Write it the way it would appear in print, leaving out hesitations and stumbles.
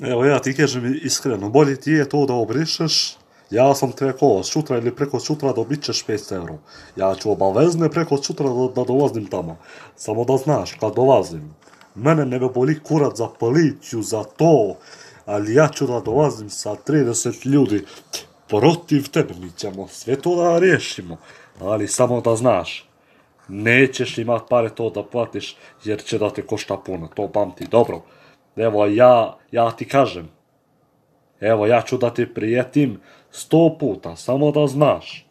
Evo ja ti kažem iskreno, bolje ti je to da obrišeš, ja sam ti rekao, sutra ili preko sutra dobit ćeš 500 euro. Ja ću obavezne preko sutra da dolazim tamo. Samo da znaš, kad dolazim, mene ne boli kurac za policiju, za to, ali ja ću da dolazim sa 30 ljudi protiv tebe, mi ćemo sve to da riješimo. Ali samo da znaš, nećeš imat pare to da platiš, jer će da te košta puno, to pamti, dobro. Evo, ja ti kažem, evo, ja ću da ti prijetim 100 puta, samo da znaš.